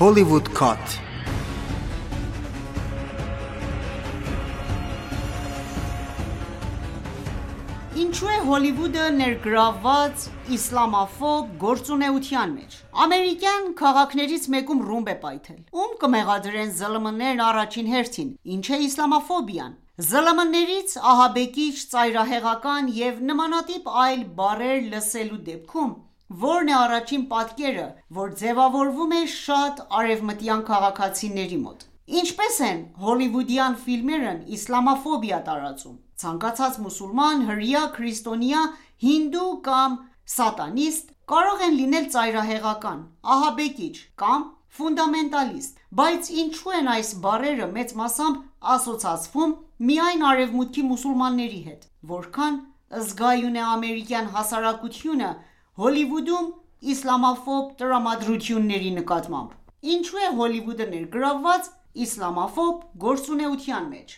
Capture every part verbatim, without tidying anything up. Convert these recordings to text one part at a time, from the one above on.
Hollywood Cut. Ինչու է Հոլիվուդը ներգրավված իսլամաֆոբ գործունեության մեջ։ Ամերիկյան քաղաքներից մեկում ռումբ է պայթել։ Ում կմեղադրեն ԶԼՄ-ներն առաջին հերթին։ Ինչ է իսլամաֆոբիան։ ԶԼՄ-ներից ահաբեկիչ, ծայրահեղական և նմանատիպ այլ բառեր լսելու դեպքում ո՞րն է առաջին պատկերը, որ ձևավորվում է շատ արևմտյան քաղաքացիների մոտ։ Ինչպես են հոլիվուդյան ֆիլմերն իսլամաֆոբիա տարածում։ Ցանկացած մուսուլման, հրեա, քրիստոնյա, հինդու կամ սատանիստ կարող են լինել ծայրահեղական, ահաբեկիչ կամ ֆունդամենտալիստ, բայց ինչու են այս բառերը մեծ մասամբ ասոցացվում միայն արևմուտքի մուսուլմանների հետ։ Որքան զգայուն է ամերիկյան հասարակությունը Հոլիվուդում իսլամաֆոբ տրամադրությունների նկատմամբ։ Ինչու է Հոլիվուդը ներգրավված իսլամաֆոբ գործունեության մեջ։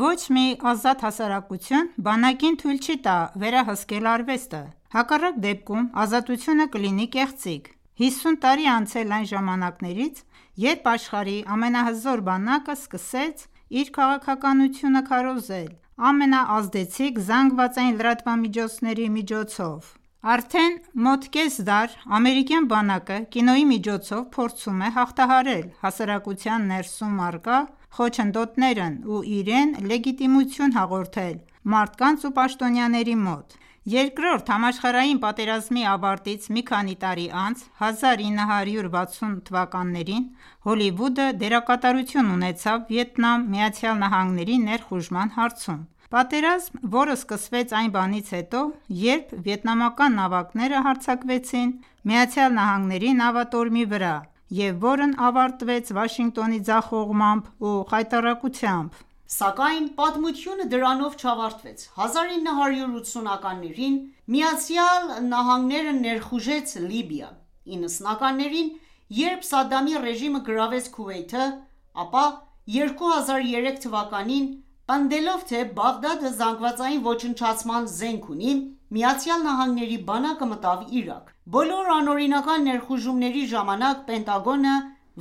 Ոչ մի ազատ հասարակություն բանակին թույլ չի տա վերահսկել արվեստը։ Հակառակ դեպքում ազատությունը կլինի կեղծիք։ հիսուն տարի անցել այն ժամանակներից, երբ աշխարհի ամենահզոր բանակը սկսեց իր քաղաքականությունը քարոզել ամենաազդեցիկ զանգվածային լրատվամիջոցների միջոցով։ Արդեն մոտ կես դար ամերիկյան բանակը կինոյի միջոցով փորձում է հաղթահարել հասարակության ներսում առկա խոչընդոտներն ու իրեն լեգիտիմություն հաղորդել մարդկանց ու պաշտոնյաների մոտ։ Երկրորդ համաշխարհային պատերազմի ավարտից մի քանի տարի անց հազար ինը հարյուր վաթսուն թվականներին Հոլիվուդը դերակատարություն ունեցավ Վիետնամ Միացյալ Նահանգների ներխուժման հարցում։ Պատերազմ, որը սկսվեց այն բանից հետո, երբ վիետնամական նավակները հարձակվեցին ԱՄՆ-ի նավատորմի վրա և որն ավարտվեց Վաշինգտոնի ձախողմամբ ու խայտառակությամբ։ Սակայն պատմությունը դրանով չավարտվեց։ հազար ինը հարյուր ութսունականներին ԱՄՆ-ը ներխուժեց Լիբիա։ իննսունականներին, երբ Սադամի ռեժիմը գրավեց Քուվեյթը, ապա երկու հազար երեք թվականին պնդելով, թե Բաղդադը զանգվածային ոչնչացման զենք ունի, ԱՄՆ-ի բանակը մտավ Իրաք։ Բոլոր անօրինական ներխուժումների ժամանակ Պենտագոնը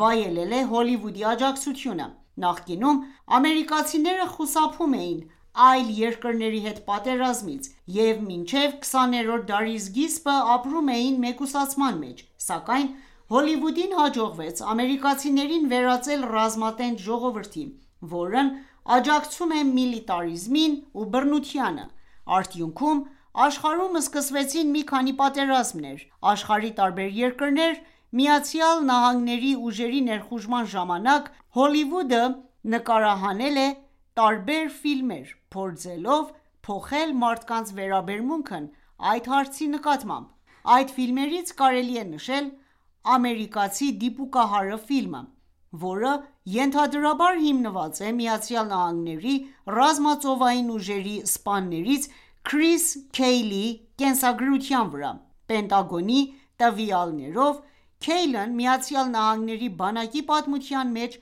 վայելել է Հոլիվուդի աջակցությունը։ Նախկինում ամերիկացիները խուսափում էին այլ երկրների հետ պատերազմից և մինչև քսաներորդ դարի սկիզբը ապրում էին մեկուսացման մեջ, սակայն Հոլիվուդին հաջողվեց ամերիկացիներին վերածել ռազմատենչ ժողովրդի, որն աջակցում է միլիտարիզմին ու բռնությանը։ Արդյունքում աշխարհում սկսվեցին մի քանի պատերազմներ։ Աշխարհի տարբեր երկրներ ԱՄՆ-ի ուժերի ներխուժման ժամանակ Հոլիվուդը նկարահանել է տարբեր ֆիլմեր, փորձելով փոխել մարդկանց վերաբերմունքն այդ հարցի նկատմամբ։ Այդ ֆիլմերից կարելի է նշել «Ամերիկացի դիպուկահարը» ֆիլմը, որը ենթադրաբար հիմնված է ԱՄՆ-ի ռազմածովային ուժերի սպաներից Քրիս Քեյլի կենսագրության վրա։ Պենտագոնի տվյալներով Քեյլն ԱՄՆ-ի բանակի պատմության մեջ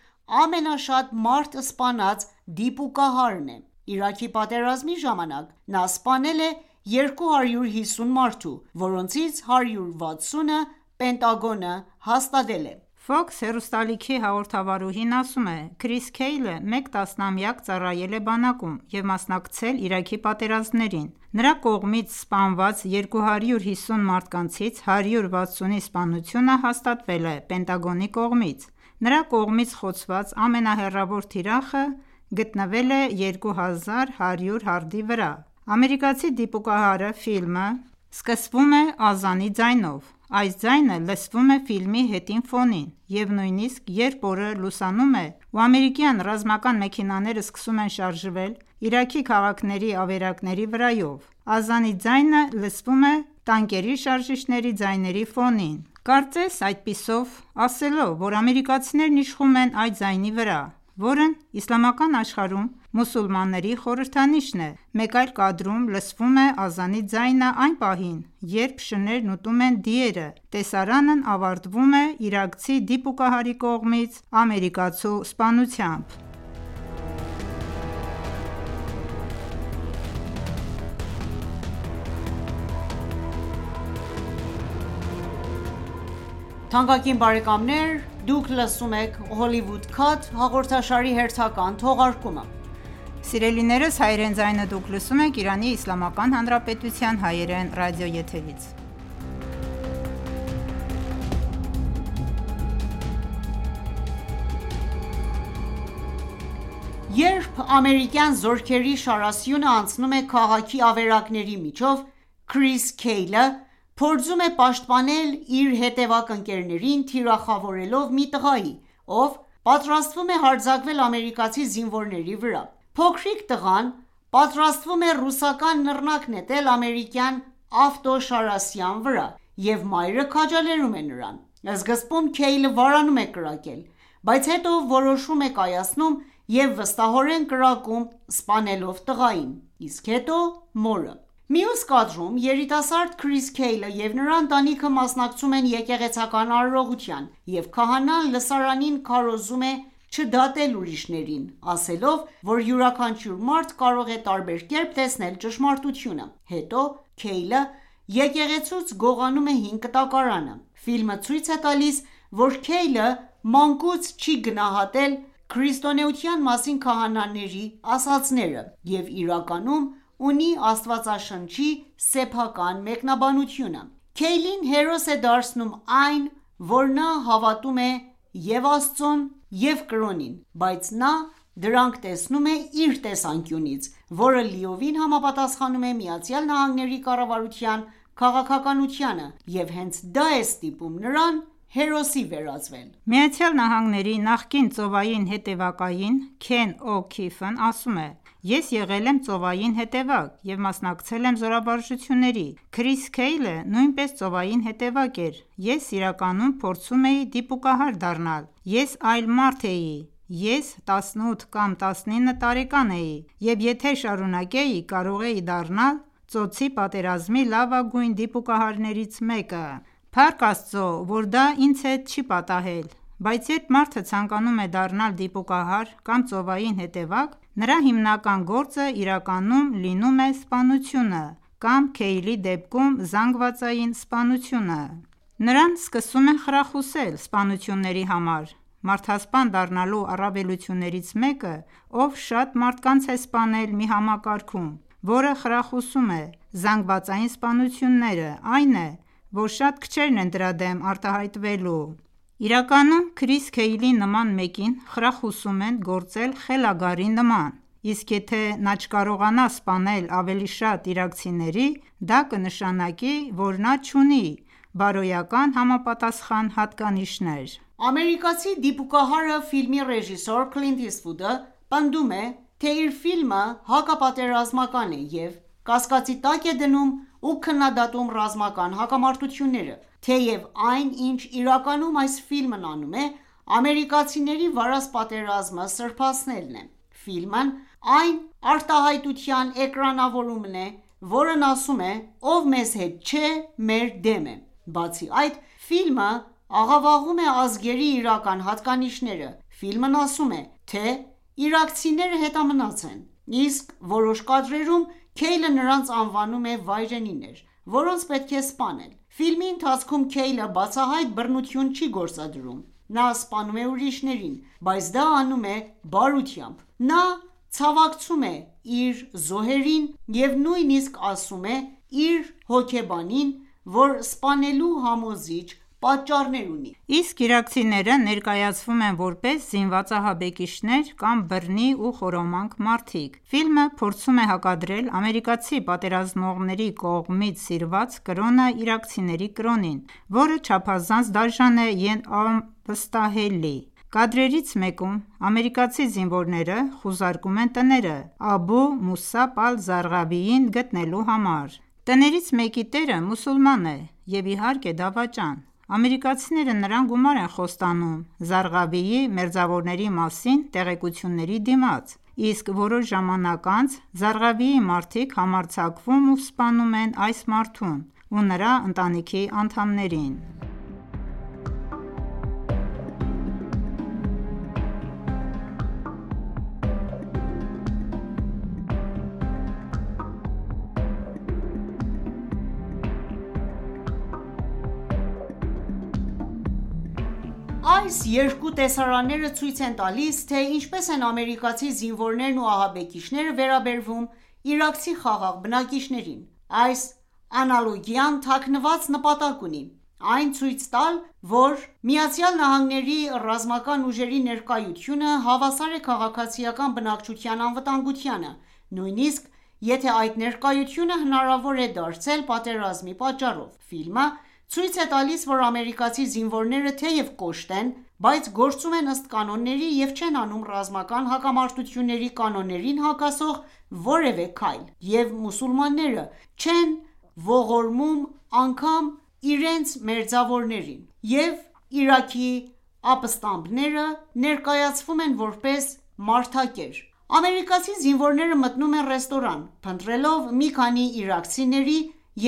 ամենաշատ մարդ սպանած դիպուկահարն է։ Իրաքի պատերազմի ժամանակ նա սպանել է երկու հարյուր հիսուն մարդու, որոնցից հարյուր վաթսունը Պենտագոնը հաստատել է։ Fox հեռուստալիքի հաղորդավարուհին ասում է. «Քրիս Քեյլը մեկ տասնամյակ ծառայել է բանակում և մասնակցել Իրաքի պատերազմներին։ Նրա կողմից սպանված երկու հարյուր հիսուն մարդկանցից հարյուր վաթսունի սպանությունը հաստատվել է Պենտագոնի կողմից։ Նրա կողմից խոցված ամենահեռավոր թիրախը գտնվել է երկու հազար հարյուր հարդի վրա»։ «Ամերիկացի դիպուկահարը» ֆիլմը սկսվում է ազանի ձայնով։ Այս ձայնը լսվում է ֆիլմի հետին ֆոնին, և նույնիսկ երբ օրը լուսանում է ու ամերիկյան ռազմական մեքենաները սկսում են շարժվել Իրաքի քաղաքների ավերակների վրայով, ազանի ձայնը լսվում է տանկերի շարժիչների ձայների ֆոնին։ Կարծես այդպիսով ասելով, որ ամերիկացիներն իշխում են այդ ձայնի վրա, որն իսլամական աշխարհում մուսուլմանների խորհրդանիշն է։ Մեկ այլ կադրում լսվում է ազանի ձայնը այն պահին, երբ շներն ուտում են դիերը։ Տեսարանն ավարտվում է իրաքցի դիպուկահարի կողմից ամերիկացու սպանությամբ։ Թանկագին բարեկամներ, դուք լսում եք Hollywood Cut հաղորդաշարի հերթական թողարկումը: Սիրելիներս, հայրեն ձայնը դուք լսում եք Իրանի Իսլամական Հանրապետության հայերեն ռադիոեթերից: Երբ ամերիկյան զորքերի շարասյունը անցնում է քաղաքի ավերակների միջով, Քրիս Քեյլը փորձում է պաշտպանել իր հետևակ ընկերներին, թիրախավորելով մի տղայի, ով պատրաստվում է հարձակվել ամերիկացի զինվորների վրա: Փոքրիկ տղան պատրաստվում է ռուսական նռնակ նետել ամերիկյան ավտոշարասյան վրա, և մայրը քաջալերում է նրան: Սկզբում Քեյլը վարանում է կրակել, բայց հետո որոշում է կայացնում և վստահորեն կրակում, սպանելով տղային, իսկ հետո մորը: Մյուս կադրում երիտասարդ Քրիս Քեյլը և նրա ընտանիքը մասնակցում են եկեղեցական արարողության, և քահանան լսարանին քարոզում է չդատել ուրիշներին, ասելով, որ յուրաքանչյուր մարդ կարող է տարբեր կերպ տեսնել ճշմարտությունը: Հետո Քեյլը եկեղեցուց գողանում է հին կտակարանը: Ֆիլմը ցույց է տալիս, որ Քեյլը մանկուց չի գնահատել քրիստոնեության մասին քահանաների ասածները և իրականում ունի Աստվածաշնչի սեփական մեկնաբանությունը: Քեյլին հերոս է դարձնում այն, որ նա հավատում է և՛ Աստծուն և կրոնին, բայց նա դրանք տեսնում է իր տեսանկյունից, որը լիովին համապատասխանում է ԱՄՆ-ի կառավարության քաղաքականությանը և հենց դա է ստիպում նրան հերոսի վերածվել: ԱՄՆ-ի նախկին ծովային հետևակային Քեն Օ'Քիֆն ասում է. «Ես եղել եմ ծովային հետևակ և մասնակցել եմ զորավարժությունների: Քրիս Քեյլը նույնպես ծովային հետևակ էր: Ես իրականում փորձում էի դիպուկահար դառնալ: Ես այլ մարդ էի: Ես տասնութ կամ տասնինը տարեկան էի և եթե շարունակեի, կարող էի դառնալ ծոցի պատերազմի լավագույն դիպուկահարներից մեկը: Փառք Աստծո, որ դա ինձ հետ չի պատահել: Բայց երբ մարդը ցանկանում է դառնալ դիպուկահար կամ ծովային հետևակ, նրա հիմնական գործը իրականում լինում է սպանությունը կամ Քեյլի դեպքում զանգվածային սպանությունը: Նրան սկսում են խրախուսել սպանությունների համար: Մարդասպան դառնալու առավելություններից մեկը, ով շատ մարդկանց է սպանել մի համակարգում, որը խրախուսում է զանգվածային սպանությունները, այն է, որ շատ քչերն են դրա դեմ արտահայտվելու: Իրականում Քրիս Քեյլի նման մեկին խրախուսում են գործել խելագարի նման, իսկ եթե նա չկարողանա սպանել ավելի շատ իրաքցիների, դա կնշանակի, որ նա չունի բարոյական համապատասխան հատկանիշներ»: Ամերիկացի դիպուկահարը ֆիլմի ռեժիսոր Քլինտ Իսթվուդը պնդում է, թե իր ֆիլմը հակապատերազմական է և կասկածի տակ է դնում ու քննադատում ռազմական հակամարտությունները: Թեև այն, ինչ իրականում այս ֆիլմն անում է, ամերիկացիների վարած պատերազմը սրբացնելն է: Ֆիլմն այն արտահայտության էկրանավորումն է, որն ասում է. «Ով մեզ հետ չէ, մեր դեմ է»: Բացի այդ, ֆիլմը աղավաղում է ազգերի իրական հատկանիշները: Ֆիլմն ասում է, թե իրաքցիները հետամնաց են, իսկ որոշ կադրերում Քեյլը նրանց անվանում է վայրենիներ, որոնց պետք է սպանել: Ֆիլմի ընթացքում Քեյլը բացահայտ բռնություն չի գործադրում: Նա սպանում է ուրիշներին, բայց դա անում է բարությամբ: Նա ցավակցում է իր զոհերին և նույնիսկ ասում է իր հոգեբանին, որ սպանելու համոզիչ պատճառներ ունի: Իսկ իրաքցիները ներկայացվում են որպես զինված ահաբեկիչներ կամ բռնի ու խորոմանկ մարդիկ: Ֆիլմը փորձում է հակադրել ամերիկացի պատերազմողների կողմից սիրված կրոնը իրաքցիների կրոնին, որը չափազանց դաժան է և անվստահելի: Կադրերից մեկում ամերիկացի զինվորները խուզարկում են տները Աբու Մուսաբ ալ-Զարղավիին գտնելու համար: Տներից մեկի տերը մուսուլման է և իհարկե դավաճան: Ամերիկացիները նրան գումար են խոստանում Զարղավիի մերձավորների մասին տեղեկությունների դիմաց, իսկ որոշ ժամանակ անց Զարղավիի մարդիկ համարձակվում ու սպանում են այս մարդուն ու նրա ընտանիքի անդամներին: Այս երկու տեսարանները ցույց են տալիս, թե ինչպես են ամերիկացի զինվորներն ու ահաբեկիչները վերաբերվում իրաքցի խաղաղ բնակիչներին: Այս անալոգիան թաքնված նպատակ ունի: Այն ցույց տալ, որ ԱՄՆ-ի ռազմական ուժերի ներկայությունը հավասար է քաղաքացիական բնակչության անվտանգությանը, նույնիսկ եթե այդ ներկայությունը հնարավոր է դարձել պատերազմի պատճառով: Ֆիլմը ցույց է տալիս, որ ամերիկացի զինվորները թեև կոշտ են, բայց գործում են ըստ կանոնների և չեն անում ռազմական հակամարտությունների կանոններին հակասող որևէ քայլ, և մուսուլմանները չեն ողորմում անգամ իրենց մերձավորներին, և Իրաքի ապստամբները ներկայացվում են որպես մարդակեր: Ամերիկացի զինվորները մտնում են ռեստորան, փնտրելով մի քանի իրաքցիների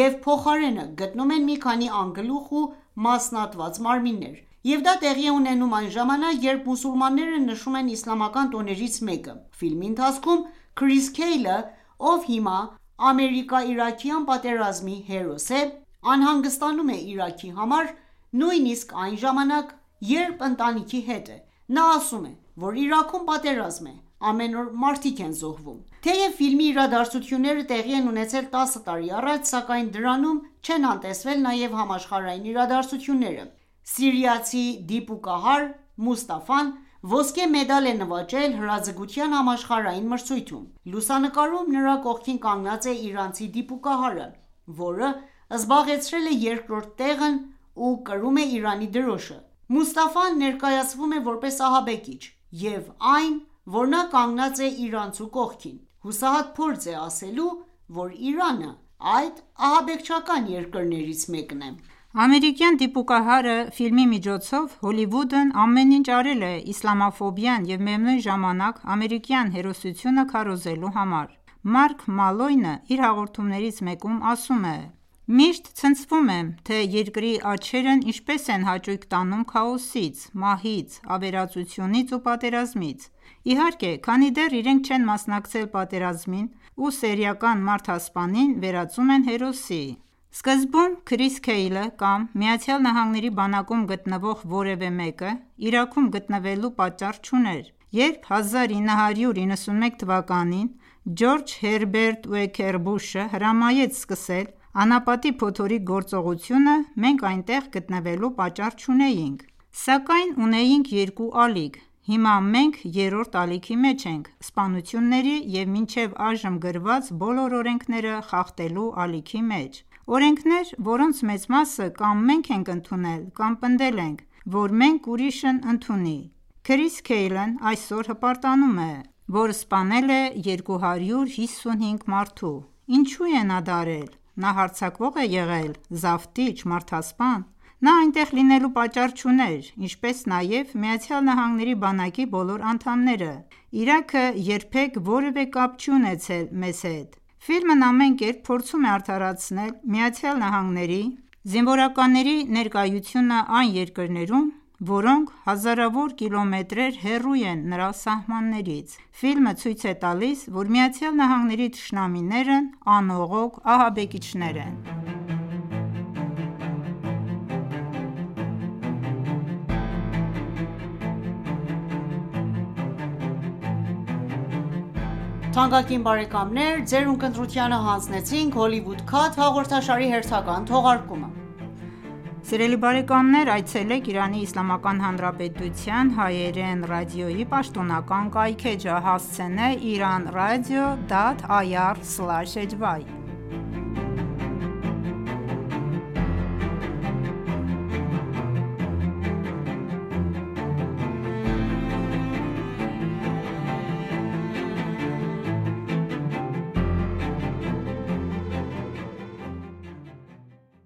և փոխարենը գտնում են մի քանի անգլուխ ու մասնատված մարմիններ, և դա տեղի է ունենում այն ժամանակ, երբ մուսուլմանները նշում են իսլամական տոներից մեկը: Ֆիլմի ընթացքում Քրիս Քեյլը, ով հիմա ամերիկա-իրաքյան պատերազմի հերոս է, անհանգստանում է Իրաքի համար, նույնիսկ այն ժամանակ, երբ ընտանիքի հետ է: Նա ասում է, որ Իրաքում պատերազմ է, ամեն օր մարդիկ են զոհվում: Թեև ֆիլմի իրադարձությունները տեղի են ունեցել տասը տարի առաջ, սակայն դրանում չեն անտեսվել նաև համաշխարհային իրադարձությունները: Սիրիացի դիպուկահար Մուստաֆան ոսկե մեդալ է նվաճել հրաձգության համաշխարհային մրցույթում: Լուսանկարում նրա կողքին կանգնած է իրանցի դիպուկահարը, որը զբաղեցրել է երկրորդ տեղն ու կրում է Իրանի դրոշը: Մուստաֆան ներկայացվում է որպես ահաբեկիչ և այն, որ նա կանգնած է իրանցու կողքին, հուսահատ փորձ է ասելու, որ Իրանը այդ ահաբեկչական երկրներից մեկն է: Ամերիկյան դիպուկահարը ֆիլմի միջոցով Հոլիվուդն ամեն ինչ արել է իսլամաֆոբիան և միևնույն ժամանակ ամերիկյան հերոսությունը քարոզելու համար: Մարկ Մալոյնը իր հաղորդումներից մեկում ասում է. «Միշտ ցնցվում եմ, թե երկրի աչքերն ինչպես են հաճույք տանում քաոսից, մահից, ավերածությունից ու պատերազմից: Իհարկե, քանի դեռ իրենք չեն մասնակցել պատերազմին ու սերիական մարդասպանին վերածում են հերոսի: Սկզբում Քրիս Քեյլը կամ ԱՄՆ-ի բանակում գտնվող որևէ մեկը Իրաքում գտնվելու պատճառ չուներ: Երբ հազար ինը հարյուր իննսունմեկ թվականին Ջորջ Հերբերտ Ուեքեր Բուշը հրամայեց սկսել անապատի փոթորիկ գործողությունը, մենք այնտեղ գտնվելու պատճառ չունեինք: Սակայն ունեինք երկու ալիք: Հիմա մենք երրորդ ալիքի մեջ ենք՝ սպանությունների և մինչև այժմ գրված բոլոր օրենքները խախտելու ալիքի մեջ: Օրենքներ, որոնց մեծ մասը կամ մենք ենք ընդունել կամ պնդել ենք, որ մենք ուրիշն ընդունի: Քրիս Քեյլն այսօր հպարտանում է, որ սպանել է երկու հարյուր հիսունհինգ մարդու: Ինչու է նա դա արել: Նա հարձակվո՞ղ է եղել, զավթիչ, մարդասպան: Նա այնտեղ լինելու պատճառ չուներ, ինչպես նաև ԱՄՆ-ի բանակի բոլոր անդամները: Իրաքը երբեք որևէ կապ չի ունեցել մեզ հետ»: Ֆիլմն ամեն կերպ փորձում է արդարացնել ԱՄՆ-ի զինվորականների ներկայությունը այն երկրներում, որոնք հազարավոր կիլոմետրեր հեռու են նրա սահմաններից: Ֆիլմը ցույց է տալիս, որ ԱՄՆ-ի թշնամիներն անողոք ահաբեկիչներ են: